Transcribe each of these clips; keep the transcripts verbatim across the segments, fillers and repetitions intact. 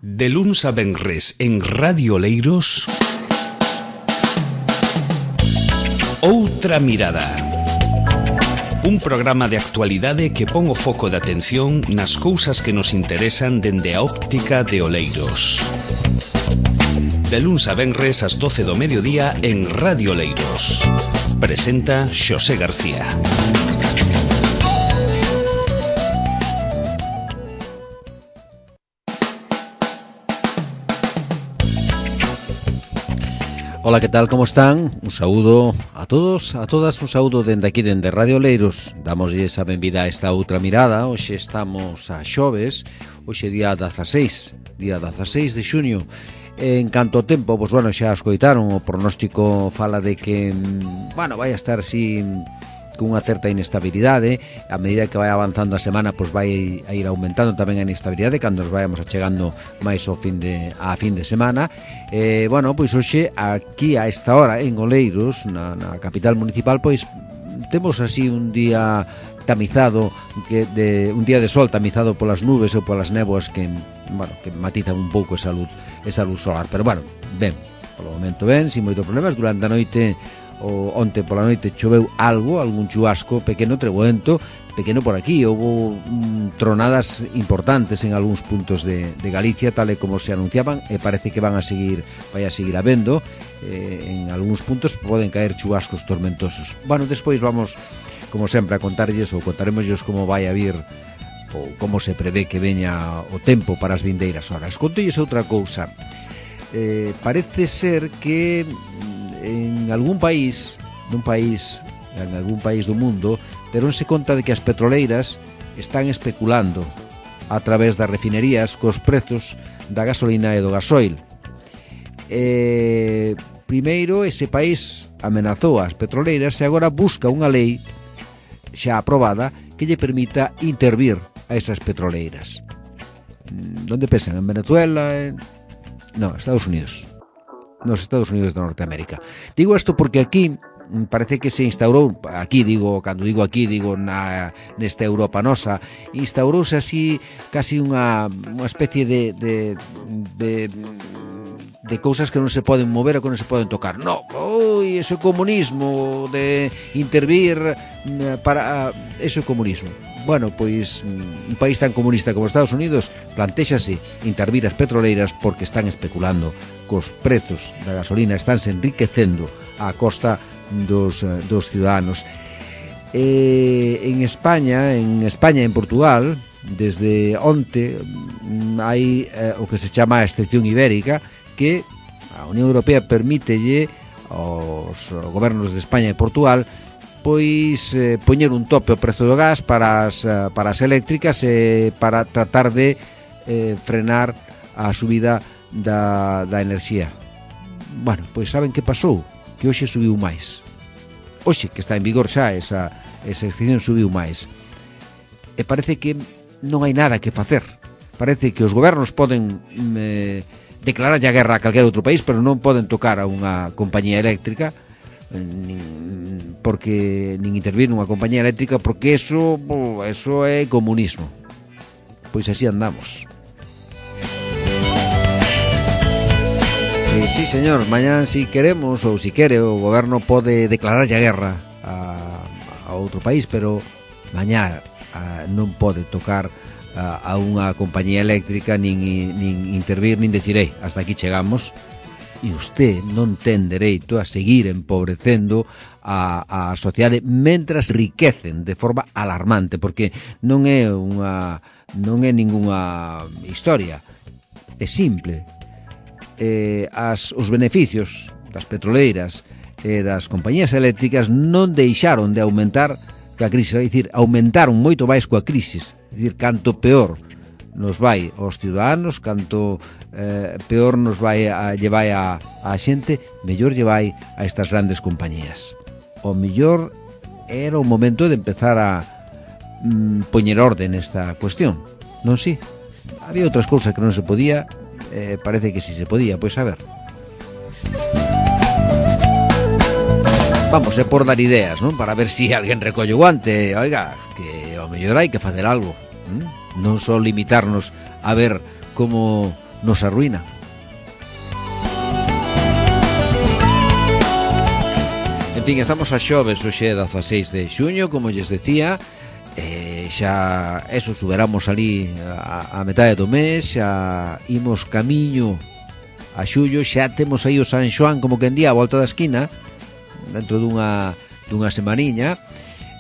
De luns a venres en Radio Oleiros, Outra Mirada. Un programa de actualidade que pon o foco de atención nas cousas que nos interesan dende a óptica de Oleiros. De luns a venres ás doce do mediodía en Radio Oleiros. Presenta Xosé García. Ola, que tal, como están? Un saúdo a todos, a todas, un saúdo dende aquí, dende Radio Oleiros. Damoslle esa benvida a esta outra mirada. Hoxe estamos a xoves, hoxe día dezaseis, día dezaseis de xuño. En canto ao tempo, pois, bueno, xa escoitaron, o pronóstico fala de que, bueno, vai a estar sin... cunha certa inestabilidade. A medida que vai avanzando a semana, pois vai a ir aumentando tamén a inestabilidade cando nos vayamos achegando máis ao fin de a fin de semana. Eh, bueno, pois hoxe aquí a esta hora en Oleiros, na, na capital municipal, pois temos así un día tamizado, que de un día de sol tamizado polas nubes ou polas néboas que, bueno, que matizan un pouco esa luz, esa luz solar, pero bueno, ben, polo momento ben, sin moitos problemas. Durante a noite, o onte pola noite, choveu algo, algún chubasco pequeno, treboento, pequeno por aquí. Houve mm, tronadas importantes en algúns puntos de, de Galicia, tal e como se anunciaban, e parece que van a seguir, vai a seguir habendo. Eh, en algúns puntos poden caer chubascos tormentosos. Bueno, despois vamos, como sempre, a contarlles ou contaremosles como vai a vir ou como se prevé que veña o tempo para as vindeiras horas. Contolles outra cousa. Eh, parece ser que en algún país, nun país, en algún país do mundo, deronse conta de que as petroleiras están especulando a través das refinerías cos prezos da gasolina e do gasoil. Eh, primeiro, ese país amenazou as petroleiras e agora busca unha lei xa aprobada que lle permita intervir a esas petroleiras. Onde pensan? En Venezuela? En... No, Estados Unidos. Nos Estados Unidos de Norteamérica. Digo isto porque aquí parece que se instaurou, aquí digo, cando digo aquí, digo na nesta Europa nosa, instaurouse así casi unha, unha especie de, de, de de cousas que non se poden mover ou que non se poden tocar. No, oi, eso é comunismo, de intervir para... eso é comunismo. Bueno, pois un país tan comunista como Estados Unidos plantéxase intervir as petroleiras porque están especulando cos prezos da gasolina, estánse enriquecendo á costa dos, dos ciudadanos. Eh, en España, en España e en Portugal, desde onte hai eh, o que se chama a excepción ibérica, que a Unión Europea permítelle aos gobernos de España e Portugal pois eh, poñer un tope ao prezo do gas para as, para as eléctricas e para tratar de eh, frenar a subida da, da enerxía. Bueno, pois saben que pasou? Que hoxe subiu máis. Hoxe, que está en vigor xa, esa, esa excepción subiu máis. E parece que non hai nada que facer. Parece que os gobernos poden eh, declarar a guerra a calquer outro país, pero non poden tocar a unha compañía eléctrica, nin, porque nin intervir nunha compañía eléctrica, porque eso, eso é comunismo. Pois así andamos. E, sí, señor, mañán, si queremos ou si quere, o goberno pode declarar a guerra a, a outro país, pero mañá a, non pode tocar a, a unha compañía eléctrica, nin, nin intervir, nin decir, ei, hasta aquí chegamos. E usted non ten dereito a seguir empobrecendo a, a sociedade mentras riquecen de forma alarmante, porque non é unha non é ningunha historia, é simple. Eh, as, os beneficios das petroleiras e das compañías eléctricas non deixaron de aumentar coa crise, é dicir, aumentaron moito máis coa crise, é dicir, canto peor nos vai aos ciudadanos, canto eh, peor nos vai a, lle vai a, a xente, mellor lle vai a estas grandes compañías. O mellor era o momento de empezar a mm, poñer orden nesta cuestión, non si? Había outras cousas que non se podía, eh, parece que si se podía, pois a ver. Vamos, é por dar ideas, non? Para ver si alguén recolle o guante. Oiga, que ao mellor hai que facer algo, ¿m? Non só limitarnos a ver como nos arruina. En fin, estamos a xoves, hoxe é dezaseis de xuño, como lles decía, eh, xa, eso, superamos ali a, a metade do mes, xa imos camiño a xullo, xa temos aí o San Xoán como que en día a volta da esquina, dentro dunha, dunha semaniña.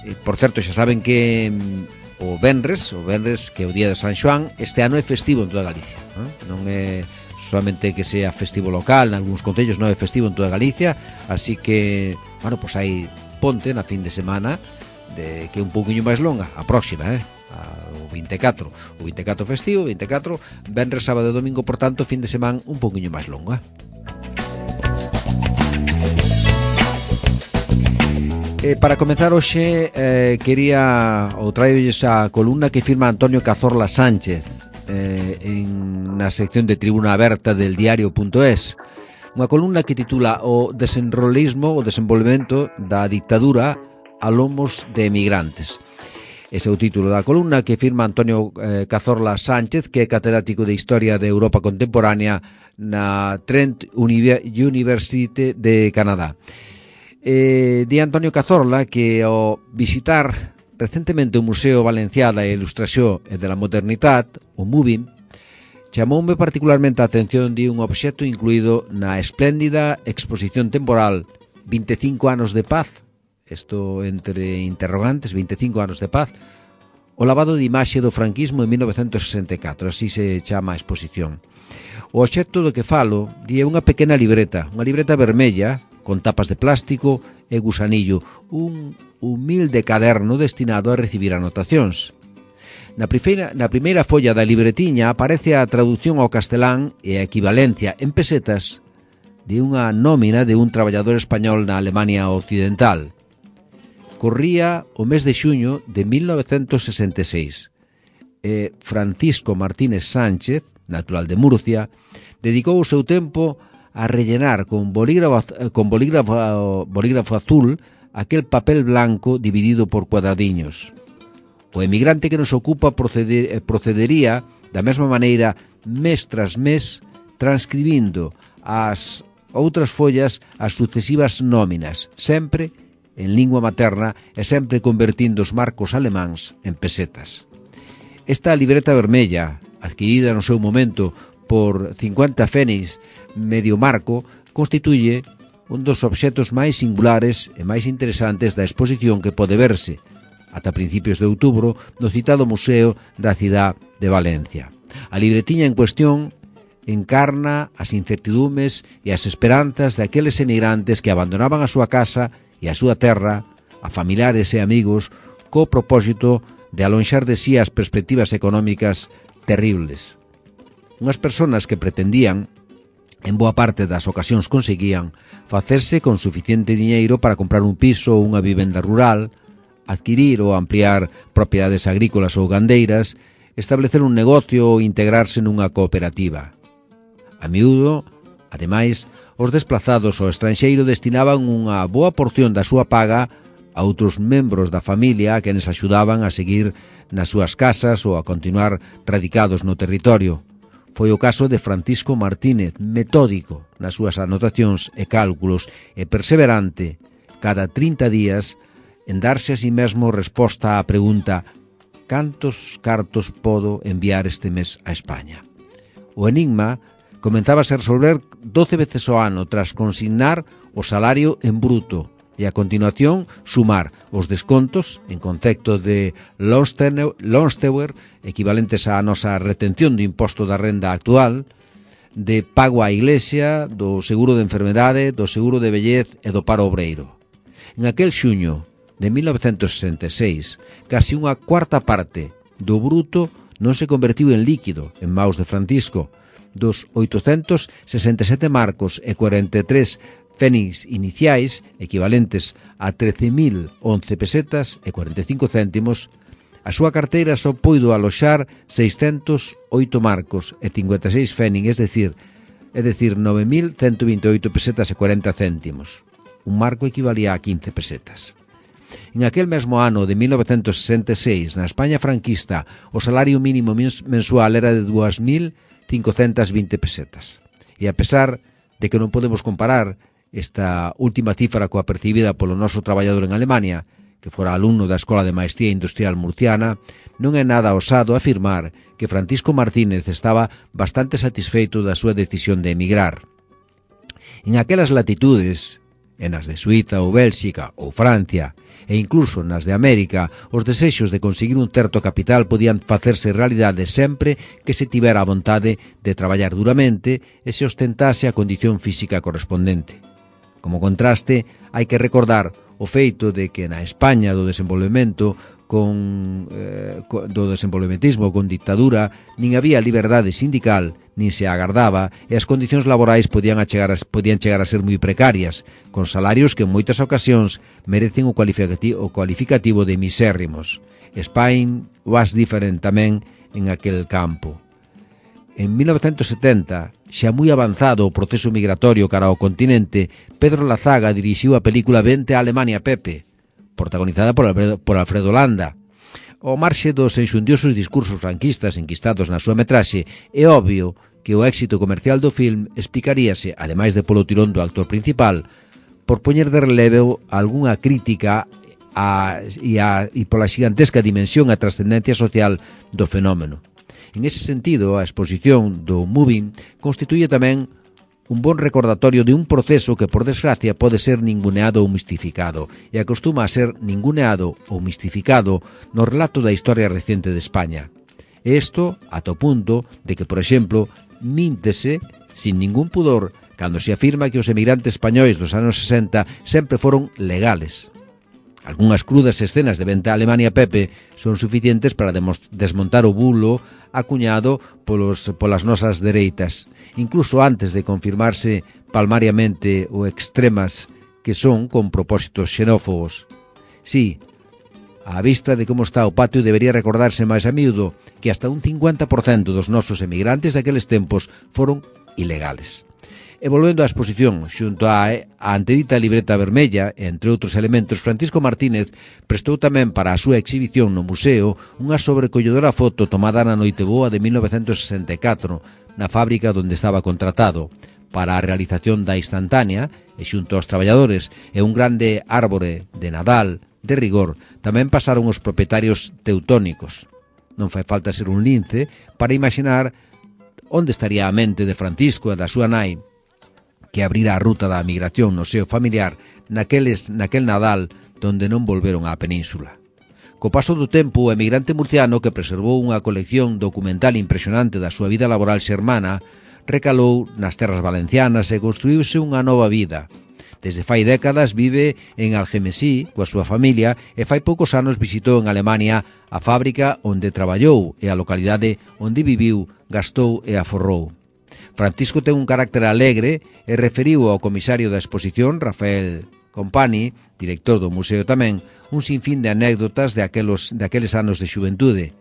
E, por certo, xa saben que mm, o venres, o venres que é o día de San Xoán, este ano é festivo en toda Galicia, non, non é solamente que sea festivo local, en algúns concellos non é festivo en toda Galicia, así que, bueno, pois hai ponte na fin de semana, de, que é un pouquiño máis longa, a próxima, eh? o vinte e catro, o vinte e catro festivo, vinte e catro, venres, sábado e domingo, por tanto, fin de semana un pouquiño máis longa. Eh, para comenzar hoxe, eh, quería ou traerlles a columna que firma Antonio Cazorla Sánchez, Eh, en na sección de Tribuna Aberta del diario punto es, unha columna que titula O desenrolismo, o desenvolvemento da dictadura a lomos de emigrantes. Ese é o título da columna que firma Antonio eh, Cazorla Sánchez, que é catedrático de Historia de Europa Contemporánea na Trent University de Canadá. Eh, di Antonio Cazorla que ao visitar recentemente o Museo Valencià da Ilustración e da Modernitat, o MUVIM, chamoume particularmente a atención de un obxecto incluído na espléndida exposición temporal vinte e cinco anos de paz, isto entre interrogantes, vinte e cinco anos de paz, o lavado de imaxe do franquismo en mil novecentos sesenta e catro, así se chama a exposición. O obxecto do que falo di é unha pequena libreta, unha libreta vermella, con tapas de plástico e gusanillo, un humilde caderno destinado a recibir anotacións. Na primeira, na primeira folla da libretiña aparece a traducción ao castelán e a equivalencia en pesetas de unha nómina de un traballador español na Alemania Occidental. Corría o mes de xuño de mil novecentos sesenta e seis. E Francisco Martínez Sánchez, natural de Murcia, dedicou o seu tempo a rellenar con bolígrafo, con bolígrafo, bolígrafo azul aquel papel blanco dividido por cuadradiños. O emigrante que nos ocupa proceder, procedería da mesma maneira mes tras mes, transcribindo as outras follas as sucesivas nóminas, sempre en lingua materna e sempre convertindo os marcos alemáns en pesetas. Esta libreta vermella, adquirida no seu momento por cincuenta fénix medio marco, constituye un dos obxectos máis singulares e máis interesantes da exposición que pode verse ata principios de outubro no citado Museo da Cidade de Valencia. A libretiña en cuestión encarna as incertidumes e as esperanzas daqueles emigrantes que abandonaban a súa casa e a súa terra, a familiares e amigos, co propósito de alonxar de sí as perspectivas económicas terribles. Unhas persoas que pretendían, en boa parte das ocasións conseguían, facerse con suficiente diñeiro para comprar un piso ou unha vivenda rural, adquirir ou ampliar propiedades agrícolas ou gandeiras, establecer un negocio ou integrarse nunha cooperativa. A miúdo, ademais, os desplazados ao estranxeiro destinaban unha boa porción da súa paga a outros membros da familia a quenes axudaban a seguir nas súas casas ou a continuar radicados no territorio. Foi o caso de Francisco Martínez, metódico nas súas anotacións e cálculos e perseverante cada trinta días en darse a si mesmo resposta á pregunta: cantos cartos podo enviar este mes a España? O enigma comenzábase a resolver doce veces ao ano tras consignar o salario en bruto e a continuación sumar os descontos en concepto de Lonsteuer, equivalentes á nosa retención do imposto da renda actual, de pago á Iglesia, do seguro de enfermedade, do seguro de vellez e do paro obreiro. En aquel xuño de mil novecentos sesenta e seis, casi unha cuarta parte do bruto non se convertiu en líquido en maus de Francisco. Dos oitocentos sesenta e sete marcos e cuarenta e tres fénix iniciais, equivalentes a trece mil once pesetas e cuarenta e cinco céntimos, a súa carteira só puido aloxar seiscentos oito marcos e cincuenta e seis fénix, é dicir, é dicir, nove mil cento vinte e oito pesetas e cuarenta céntimos. Un marco equivalía a quince pesetas. En aquel mesmo ano de mil novecentos sesenta e seis, na España franquista, o salario mínimo mensual era de dúas mil cincocentas vinte pesetas. E a pesar de que non podemos comparar esta última cifra coa percibida polo noso traballador en Alemania, que fora alumno da Escola de Maestría Industrial Murciana, non é nada osado afirmar que Francisco Martínez estaba bastante satisfeito da súa decisión de emigrar. En aquelas latitudes, en as de Suíza ou Bélxica ou Francia, e incluso nas de América, os desexos de conseguir un certo capital podían facerse realidade sempre que se tivera a vontade de traballar duramente e se ostentase a condición física correspondente. Como contraste, hai que recordar o feito de que na España do desenvolvemento con, eh, do desenvolvementismo con dictadura nin había liberdade sindical, nin se agardaba, e as condicións laborais podían, chegar a, podían chegar a ser moi precarias, con salarios que en moitas ocasións merecen o cualificativo, o cualificativo de misérrimos. Spain was different tamén en aquel campo. En mil novecentos setenta, xa moi avanzado o proceso migratorio cara ao continente, Pedro Lazaga dirixiu a película Vente a Alemania, Pepe, protagonizada por Alfredo, por Alfredo Landa. Ao marxe dos enxundiosos discursos franquistas enquistados na súa metraxe, é obvio que o éxito comercial do film explicaríase, ademais de polo tirón do actor principal, por poñer de relevo algunha crítica a, e, a, e pola xigantesca dimensión e trascendencia social do fenómeno. En ese sentido, a exposición do Moving constituye tamén un bon recordatorio de un proceso que, por desgracia, pode ser ninguneado ou mistificado, e acostuma a ser ninguneado ou mistificado no relato da historia recente de España. E isto ata o punto de que, por exemplo, míntese, sin ningún pudor, cando se afirma que os emigrantes españois dos anos sesenta sempre foron legales. Algúnas crudas escenas de Vente a Alemania, Pepe, son suficientes para desmontar o bulo acuñado polos, polas nosas dereitas, incluso antes de confirmarse palmariamente o extremas que son con propósitos xenófobos. Sí, á vista de como está o patio, debería recordarse máis a miúdo que hasta un cincuenta por cento dos nosos emigrantes daqueles tempos foron ilegales. E volvendo á exposición, xunto á, á antedita libreta vermella, entre outros elementos, Francisco Martínez prestou tamén para a súa exhibición no museo unha sobrecolledora foto tomada na Noiteboa de mil novecentos sesenta e catro, na fábrica onde estaba contratado, para a realización da instantánea, e xunto aos traballadores e un grande árbore de Nadal, de rigor, tamén pasaron os propietarios teutónicos. Non fai falta ser un lince para imaginar onde estaría a mente de Francisco e da súa nai, que abrira a ruta da migración no seo familiar naqueles, naquel Nadal donde non volveron á península. Co paso do tempo, o emigrante murciano, que preservou unha colección documental impresionante da súa vida laboral xermana, recalou nas terras valencianas e construíuse unha nova vida. Desde fai décadas vive en Algemesí coa súa familia e fai poucos anos visitou en Alemania a fábrica onde traballou e a localidade onde viviu, gastou e aforrou. Francisco ten un carácter alegre e referiu ao comisario da exposición, Rafael Compani, director do museo tamén, un sinfín de anécdotas de aqueles, de aqueles anos de xuventude.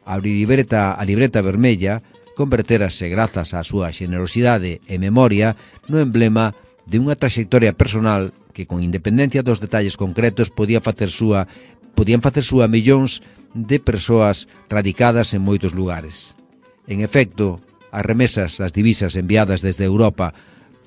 A libreta, a libreta vermella converterase, grazas á súa xenerosidade e memoria, no emblema de unha trayectoria personal que, con independencia dos detalles concretos, podía facer súa, podían facer súa millóns de persoas radicadas en moitos lugares. En efecto, as remesas das divisas enviadas desde Europa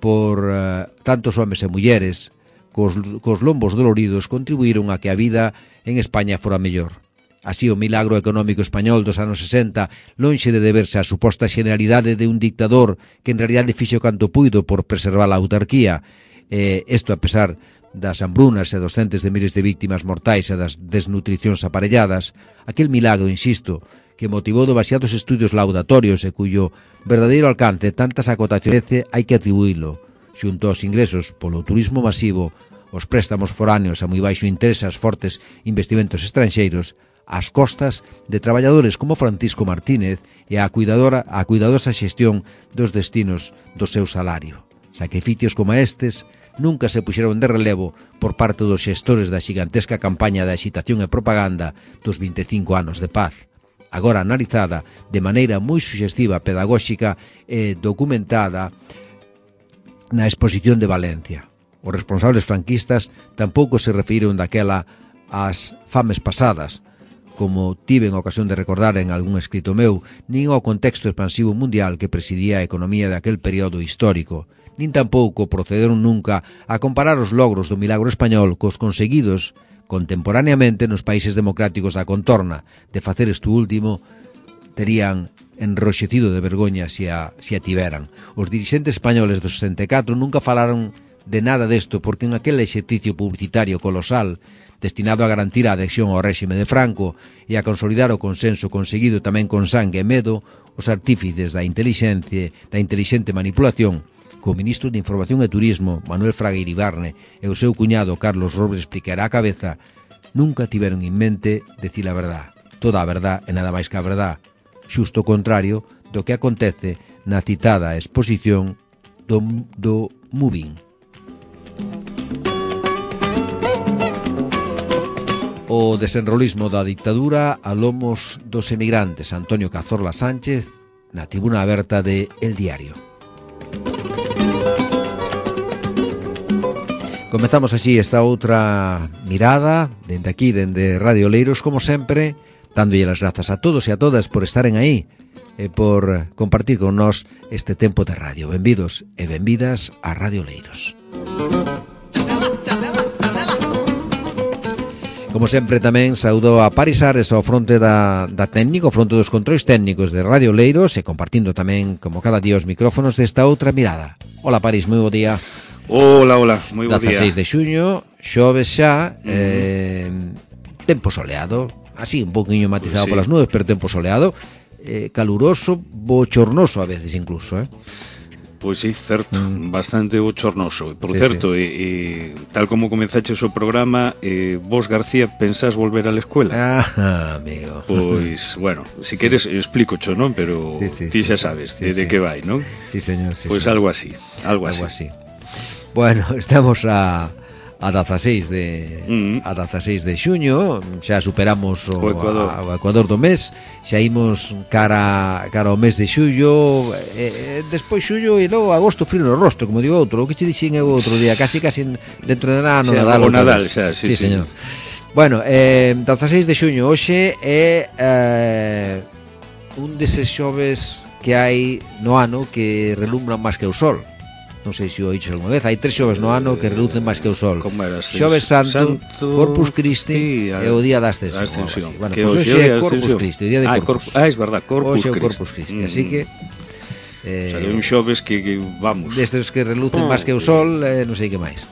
por uh, tantos homes e mulleres cos, cos lombos doloridos contribuíron a que a vida en España fora mellor. Así, o milagro económico español dos anos sesenta, lonxe de deberse á suposta generalidade de un dictador que en realidade fixo canto puido por preservar a autarquía, e isto a pesar das hambrunas e dos centes de miles de víctimas mortais e das desnutricións aparelladas, aquel milagro, insisto, que motivou demasiados estudios laudatorios e cuyo verdadeiro alcance tantas acotaciones hai que atribuílo, xunto aos ingresos polo turismo masivo, os préstamos foráneos a moi baixo interés, as fortes investimentos estranxeiros, ás costas de traballadores como Francisco Martínez e a cuidadora, a cuidadosa xestión dos destinos do seu salario. Sacrificios como estes nunca se puxeron de relevo por parte dos xestores da xigantesca campaña de axitación e propaganda dos vinte e cinco anos de paz, agora analizada de maneira moi suxestiva, pedagóxica e documentada na exposición de Valencia. Os responsables franquistas tampouco se referiron daquela ás fames pasadas, como tiven a ocasión de recordar en algún escrito meu, nin ao contexto expansivo mundial que presidía a economía daquel período histórico, nin tampouco procederon nunca a comparar os logros do milagro español cos conseguidos contemporaneamente nos países democráticos da contorna. De facer isto último, terían enroxecido de vergoña se a, se a tiveran. Os dirixentes españoles do sesenta e catro nunca falaron de nada desto, porque en aquel exercicio publicitario colosal destinado a garantir a adhesión ao réxime de Franco e a consolidar o consenso conseguido tamén con sangue e medo, os artífices da inteligencia, da inteligente manipulación, co ministro de Información e Turismo, Manuel Fraga Iribarne, e o seu cuñado Carlos Robles Explicará a cabeza, nunca tiveron en mente decir a verdad, toda a verdad e nada máis que a verdad, xusto o contrario do que acontece na citada exposición do, do Moving. O desenrolismo da dictadura a lomos dos emigrantes. Antonio Cazorla Sánchez na tribuna aberta de El Diario. Comezamos así esta outra mirada dende aquí, dende Radio Oleiros, como sempre, dándolle as grazas a todos e a todas por estaren aí e por compartir con nós este tempo de radio. Benvidos e benvidas a Radio Oleiros. Como sempre tamén saúdo a Paris Ares ao fronte da, da técnico, ao fronte dos controis técnicos de Radio Oleiros e compartindo tamén, como cada día, os micrófonos desta outra mirada. Hola Paris, moi bo día. Hola, hola, moi bo día. dezaseis de xuño, xoves xa, uh-huh. eh, tempo soleado, así un poquinho matizado pues sí. polas nubes, pero tempo soleado, eh, caluroso, bochornoso a veces incluso, eh. Pois sí, certo, mm. bastante bochornoso. Por sí, certo, sí. E, e, tal como comenzaches o programa, eh, vos, García, pensás volver á escuela? Ah, amigo. Pois, bueno, si sí. queres explícocho, non? Pero sí, sí, ti xa sabes sí, de, sí. de que vai, non? Sí, señor. Sí, pois señor. algo así, algo, algo así. así. Bueno, estamos a... a dezaseis de mm. a dezaseis de xuño, xa superamos o, o, Ecuador. A, o Ecuador do mes, xa imos cara cara ao mes de xullo, e, e despois xullo e logo agosto frío no rostro, como digo outro, o que che dixen eu outro día, casi casi dentro de nada no xa, Nadal. O Nadal, xa, sí, sí, sí. señor. Bueno, eh, dezaseis de xuño hoxe é eh, un deses xoves que hai no ano que relumbran máis que o sol. Non sei se o oíches alguna vez. Hai tres xoves no ano que relucen máis que o sol. Xoves Santo, Santo, Corpus Christi sí, a, e o día da Ascensión. ascensión. Bueno, que pois hoxe é Corpus Christi, o día de ah, Corpus. Corpus. Ah, é verdad, Corpus Christi. Hoxe é o Corpus Christi, mm. así que eh, o sea, un xoves que, que vamos. Destes que relucen oh, máis que o sol, eh, non sei que máis.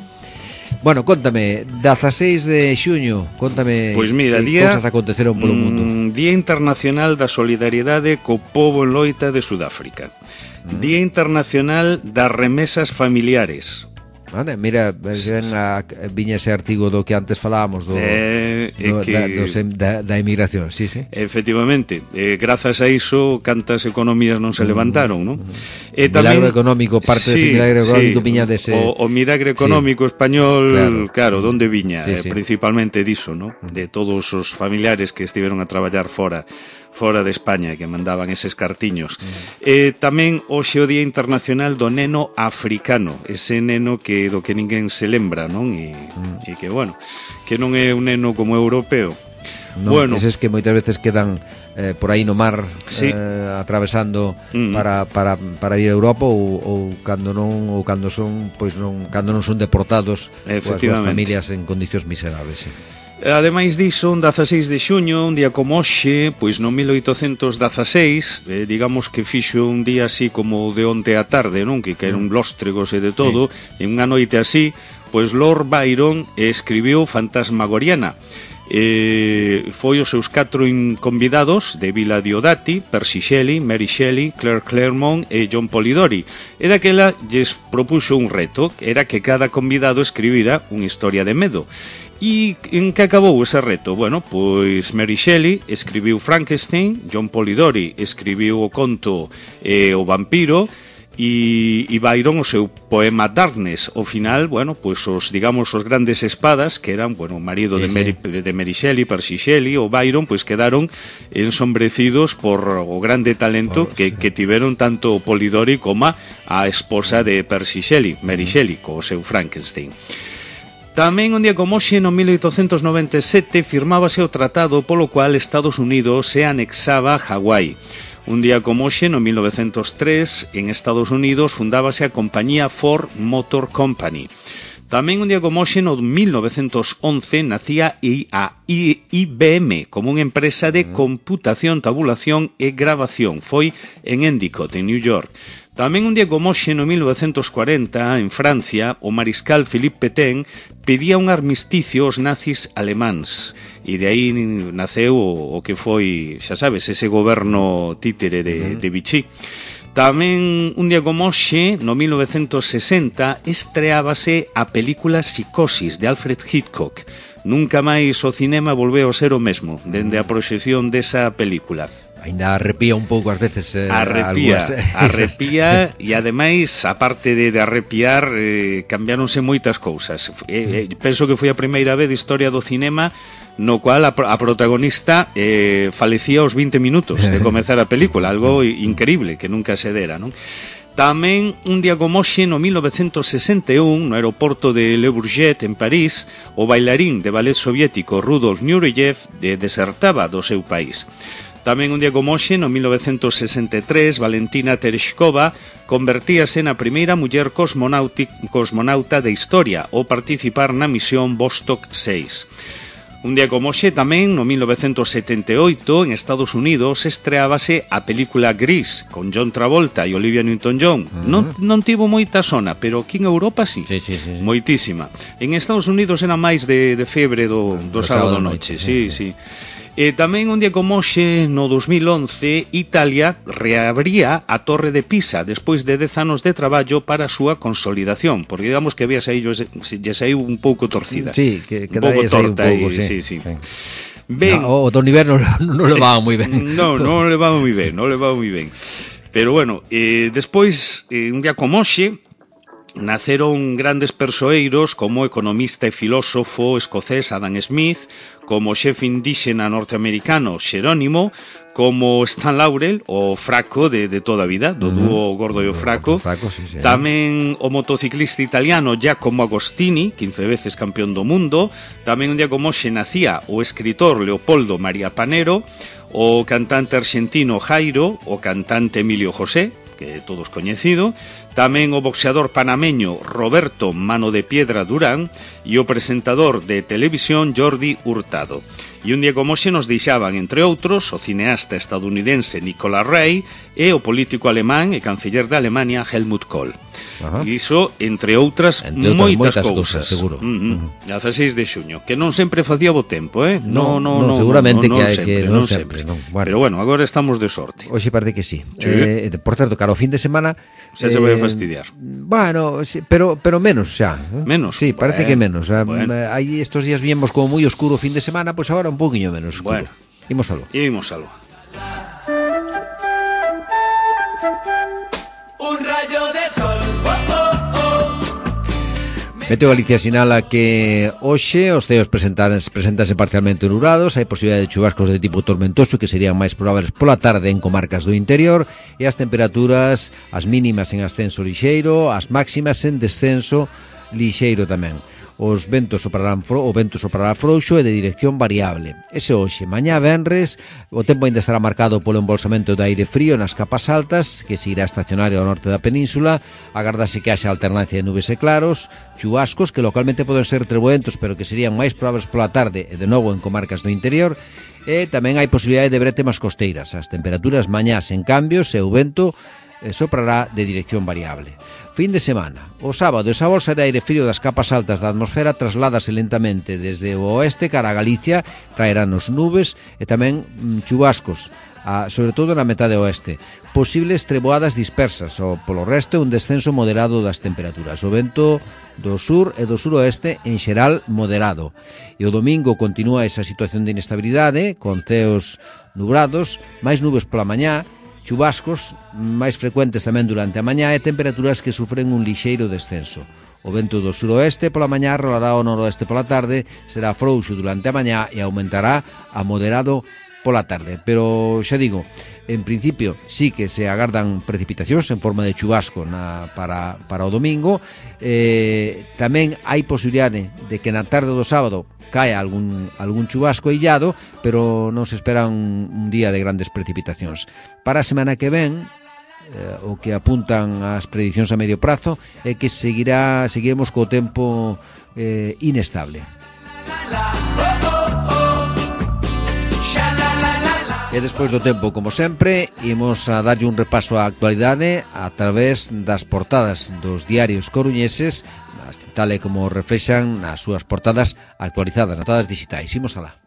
Bueno, contame, dezaseis de xuño, contame pois mira, que día, cosas aconteceron polo mundo. Mm, Día Internacional da Solidariedade co pobo en loita de Sudáfrica. Día Internacional das Remesas Familiares. Vale, mira, ven a, viña ese artigo do que antes falábamos do, eh, do, que, da, dos, da, da emigración, sí, sí. Efectivamente, eh, grazas a iso cantas economías non se levantaron, non? Mm. Eh, tamén, milagro económico, parte sí, dese milagro económico sí, viña dese... O, o milagre económico sí, español, claro, claro donde viña? Sí, eh, sí. Principalmente diso, non? De todos os familiares que estiveron a traballar fora fora de España, que mandaban eses cartiños. Mm. Eh, tamén hoxe o Día Internacional do Neno Africano, ese neno que do que ninguén se lembra, non? E, mm. e que, bueno, que non é un neno como europeo. Non, bueno, eses que moitas veces quedan eh, por aí no mar sí. eh, atravesando mm. para, para, para ir a Europa ou, ou cando non ou cando son, pois non, cando non son deportados coas súas familias en condicións miserables, sí. Ademais diso, un dezaseis de xuño, un día como hoxe, pois no mil oitocentos dezaseis, eh, digamos que fixo un día así como de onte á tarde, non? Que caeron lóstregos e de todo, sí. En unha noite así, pois Lord Byron escribiu Fantasmagoriana. Eh, foi os seus catro convidados de Vila Diodati, Percy Shelley, Mary Shelley, Claire Claremont e John Polidori, e daquela lles propuxo un reto, que era que cada convidado escribira unha historia de medo. E en que acabou ese reto? Bueno, pois Mary Shelley escribiu Frankenstein, John Polidori escribiu o conto eh, O vampiro, e, e Byron o seu poema Darkness. Ao final, bueno, pois os, digamos, os grandes espadas, que eran, bueno, o marido sí, de, Mary, sí. de Mary Shelley, Percy Shelley, o Byron, pois quedaron ensombrecidos por o grande talento oh, que, sí. que tiveron tanto o Polidori como a esposa de Percy Shelley, Mary mm. Shelley, co seu Frankenstein. Tamén un día como hoxe, no mil oitocentos noventa e sete, firmábase o tratado polo cual Estados Unidos se anexaba a Hawái. Un día como hoxe, no mil novecentos tres, en Estados Unidos fundábase a compañía Ford Motor Company. Tamén un día como hoxe, no mil novecentos once, nacía a I B M como unha empresa de computación, tabulación e grabación. Foi en Endicott, en New York. Tamén un día como hoxe, no mil novecentos cuarenta, en Francia, o mariscal Philippe Pétain pedía un armisticio aos nazis alemáns. E de aí naceu o, o que foi, xa sabes, ese goberno títere de, de Vichy. Tamén un día como hoxe, no mil novecentos sesenta, estreábase a película Psicosis, de Alfred Hitchcock. Nunca máis o cinema volveu a ser o mesmo, dende a proxección desa película. Ainda arrepía un pouco ás veces eh, arrepía, alguas, arrepía e ademais, aparte de, de arrepiar, eh, cambiáronse moitas cousas. Eh, eh, penso que foi a primeira vez de historia do cinema no cual a, a protagonista eh, falecía aos vinte minutos de comezar a película, algo increíble que nunca se dera, non? Tamén un día como hoxe, no mil novecentos sesenta e un, no aeroporto de Le Bourget, en París, o bailarín de ballet soviético Rudolf Nureyev de, desertaba do seu país. Tamén un día como hoxe, no mil novecentos sesenta e tres, Valentina Tereshkova convertíase na primeira muller cosmonauta da historia ao participar na misión Vostok seis. Un día como hoxe, tamén, no mil novecentos setenta e oito, en Estados Unidos, estreábase a película Gris, con John Travolta e Olivia Newton-John. Uh-huh. Non, non tivo moita sona, pero aquí en Europa sí. Sí, sí, sí, sí. Moitísima. En Estados Unidos era máis de, de febre do, do, do sábado noche, sí, sí. sí. E tamén un día como hoxe, no dos mil once, Italia reabría a Torre de Pisa despois de dez anos de traballo para a súa consolidación, porque digamos que había saído, lle saiu un pouco torcida. Sí, que, que un pouco torta un pouco, y, sí. sí, sí. sí. Ben, no, o Don Iber non no levaba moi ben. No, non levaba moi ben, non levaba moi ben. Pero bueno, eh, despois, eh, un día como hoxe, naceron grandes persoeiros como o economista e filósofo escocés Adam Smith, como o xefe indíxena norteamericano Xerónimo, como Stan Laurel, o fraco de, de toda a vida, do dúo Gordo e o Fraco. fraco sí, sí. Tamén o motociclista italiano Giacomo Agostini, quince veces campeón do mundo. Tamén un día como hoxe nacía o escritor Leopoldo María Panero, o cantante argentino Jairo, o cantante Emilio José, que todos coñecido, tamén o boxeador panameño Roberto Mano de Piedra Durán e o presentador de televisión Jordi Hurtado. E un día como hoxe nos deixaban, entre outros, o cineasta estadounidense Nicolas Rey e o político alemán e canciller de Alemania Helmut Kohl. Ajá. Iso, entre outras, entre moitas, moitas cousas, cousas seguro. Uh-huh. Uh-huh. dezaseis de xuño, que non sempre facía bo tempo, eh? No, no, no, no seguramente no, no, que, hai, sempre, que non, non sempre, sempre. Non. Bueno. Pero bueno, agora estamos de sorte. Hoxe parece que sí. sí. Eh, por certo, cara, o fin de semana xa se eh, vai a fastidiar. Bueno, sí, pero pero menos xa. ¿eh? Menos. Sí, parece bueno, que menos. Bueno. Aí estos días viemos como moi oscuro o fin de semana, pois pues agora un poquinho menos oscuro. Bueno. Imos algo. Imos algo. Un rayo de sol. Oh, oh, oh. Meteo Galicia sinala que hoxe os ceos presentanse parcialmente nublados, hai posibilidade de chuvascos de tipo tormentoso que serían máis probables pola tarde en comarcas do interior, e as temperaturas, as mínimas en ascenso lixeiro, as máximas en descenso lixeiro tamén. Os ventos soprarán fro, o vento soprará frouxo e de dirección variable. Ese hoxe, mañá venres, o tempo ainda estará marcado polo embolsamento de aire frío nas capas altas, que seguirá estacionario ao norte da península. Agardase que haxa alternancia de nubes e claros, chubascos que localmente poden ser treboentos, pero que serían máis probables pola tarde e de novo en comarcas do interior. E tamén hai posibilidade de brétemas costeiras. As temperaturas mañás en cambios e o vento soprará de dirección variable. Fin de semana. O sábado, esa bolsa de aire frío das capas altas da atmosfera trasládase lentamente desde o oeste cara a Galicia, traerán os nubes e tamén mm, chubascos, a, sobre todo na metade oeste. Posibles treboadas dispersas, ou polo resto un descenso moderado das temperaturas. O vento do sur e do suroeste en xeral moderado. E o domingo continúa esa situación de inestabilidade, con ceos nubrados, máis nubes pola mañá, chubascos máis frecuentes tamén durante a mañá e temperaturas que sufren un lixeiro descenso. O vento do suroeste pola mañá rolará ao noroeste pola tarde, será frouxo durante a mañá e aumentará a moderado pola tarde, pero xa digo, en principio sí que se agardan precipitacións en forma de chubasco na, para, para o domingo. Eh, tamén hai posibilidade de que na tarde do sábado cae algún, algún chubasco illado, pero non se espera un, un día de grandes precipitacións. Para a semana que ven, eh, o que apuntan as predicións a medio prazo é que seguirá, seguiremos co tempo eh, inestable. E despois do tempo, como sempre, imos a darlle un repaso á actualidade a través das portadas dos diarios coruñeses, tal e como reflexan nas súas portadas actualizadas, nas portadas digitais. Imos alá.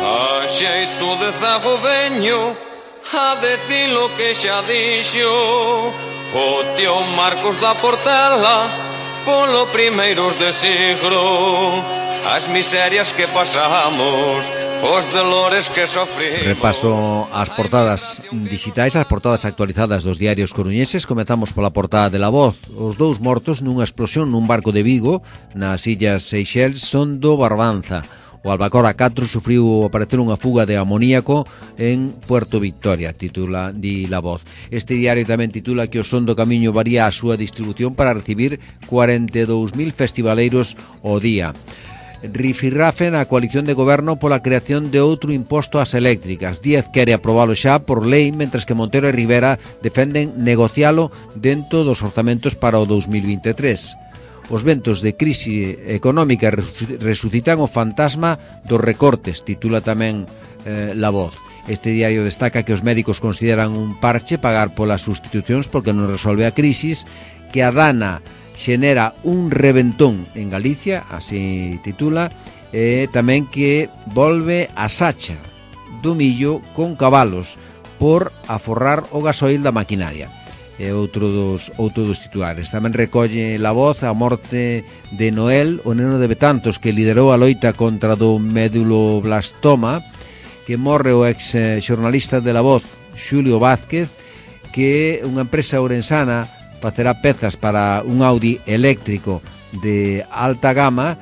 A xeito de zago veño a decir lo que xa dixo o tío Marcos da Portela polo primeiros de siglo, as miserias que pasamos, os dolores que sofrimos. Repaso as portadas digitais, as portadas actualizadas dos diarios coruñeses. Comezamos pola portada de La Voz. Os dous mortos nunha explosión nun barco de Vigo nas illas Seychelles son do Barbanza. O Albacora catro sufriu aparecer unha fuga de amoníaco en Puerto Victoria, titula di La Voz. Este diario tamén titula que o Son do Camiño varía a súa distribución para recibir cuarenta e dous mil festivaleiros ao día. Rifirrafe na coalición de goberno pola creación de outro imposto ás eléctricas. Díaz quere aprobalo xa por lei, mentres que Montero e Rivera defenden negocialo dentro dos orzamentos para o dos mil vinte e tres. Os ventos de crise económica resucitan o fantasma dos recortes, titula tamén eh, La Voz. Este diario destaca que os médicos consideran un parche pagar polas sustitucións porque non resolve a crisis, que a Dana xenera un reventón en Galicia, así titula, e tamén que volve a Sacha do millo con cabalos por aforrar o gasoil da maquinaria. É outro dos, outro dos titulares. Tamén recolle La Voz a morte de Noel, o neno de Betantos que liderou a loita contra do meduloblastoma, que morre o ex xornalista de La Voz, Xulio Vázquez, que unha empresa ourensana facerá pezas para un Audi eléctrico de alta gama,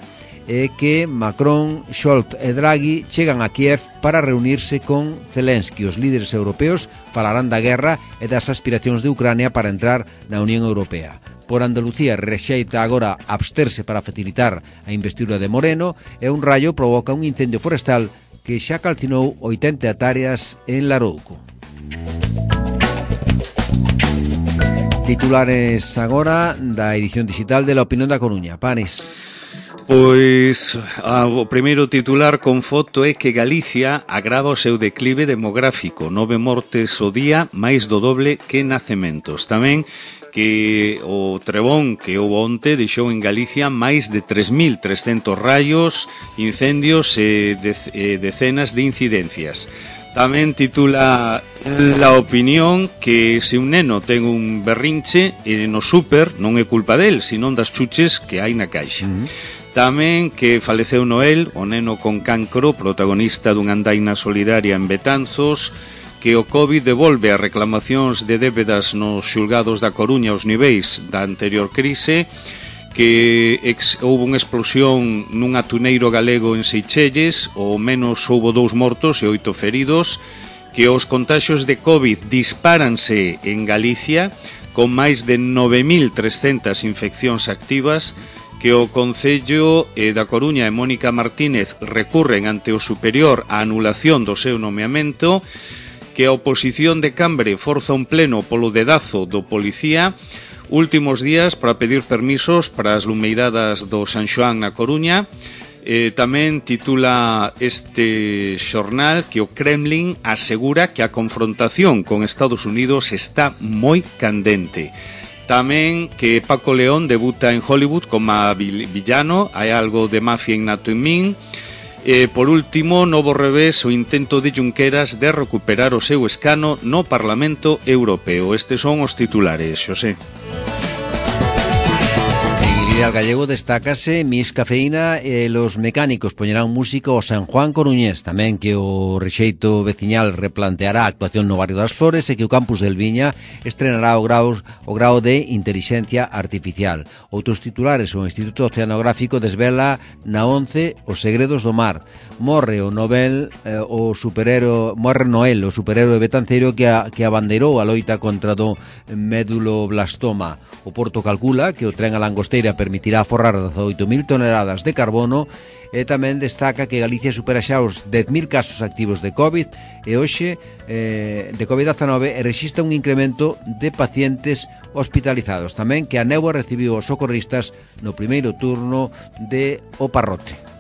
e que Macron, Scholz e Draghi chegan a Kiev para reunirse con Zelensky. Os líderes europeos falarán da guerra e das aspiracións de Ucrania para entrar na Unión Europea. Por Andalucía rexeita agora absterse para facilitar a investidura de Moreno, e un raio provoca un incendio forestal que xa calcinou oitenta hectáreas en Larouco. Titulares agora da edición digital de La Opinión da Coruña. Panes. Pois a, o primeiro titular con foto é que Galicia agrava o seu declive demográfico, nove mortes o día, máis do doble que nacementos. Tamén que o trebón que houve onte deixou en Galicia máis de tres mil trescentos raios, incendios e decenas de incidencias. Tamén titula La Opinión que se un neno ten un berrinche e no súper non é culpa del, senón das chuches que hai na caixa. Uh-huh. Tamén que faleceu Noel, o neno con cancro, protagonista dunha andaina solidaria en Betanzos, que o COVID devolve as reclamacións de débedas nos xulgados da Coruña aos niveis da anterior crise, que ex, houve unha explosión nun atuneiro galego en Seychelles, ao menos houve dous mortos e oito feridos, que os contaxios de COVID dispáranse en Galicia, con máis de nove mil trescentas infeccións activas, que o Concello da Coruña e Mónica Martínez recurren ante o superior a anulación do seu nomeamento, que a oposición de Cambre forza un pleno polo dedazo do policía, últimos días para pedir permisos para as lumeiradas do San Xoán na Coruña. Eh, tamén titula este xornal que o Kremlin asegura que a confrontación con Estados Unidos está moi candente. Tamén que Paco León debuta en Hollywood como villano, hai algo de mafia innato en min. E, por último, novo revés o intento de Junqueras de recuperar o seu escano no Parlamento Europeo. Estes son os titulares, Xosé. Ideal Gallego destácase Miss Cafeína e los mecánicos poñerán música ao San Juan Coruñés, tamén que o rexeito veciñal replanteará a actuación no barrio das Flores e que o campus del Viña estrenará o grau, o grau de Inteligencia Artificial. Outros titulares, o Instituto Oceanográfico desvela na once os segredos do mar. Morre o Nobel, eh, o superhéroe, morre Noel, o superhéroe betanceiro que, a, que abandeirou a loita contra do méduloblastoma. O Porto calcula que o tren a Langosteira permitirá aforrar dezaoito mil toneladas de carbono e tamén destaca que Galicia supera xa os dez mil casos activos de COVID e hoxe eh, de covid dezanove e rexistra un incremento de pacientes hospitalizados. Tamén que a néboa recibiu os socorristas no primeiro turno de O Parrote.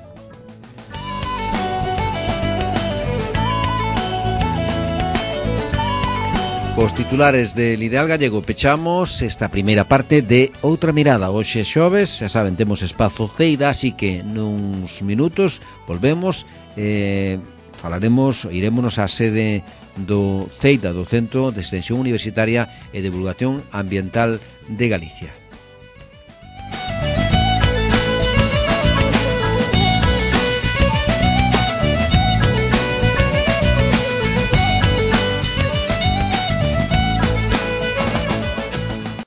Cos titulares del Ideal Gallego pechamos esta primeira parte de Outra Mirada. Hoxe xoves, xa saben, temos espazo Ceida, así que nuns minutos volvemos, eh, falaremos, irémonos á sede do Ceida, do Centro de Extensión Universitaria e Divulgación Ambiental de Galicia.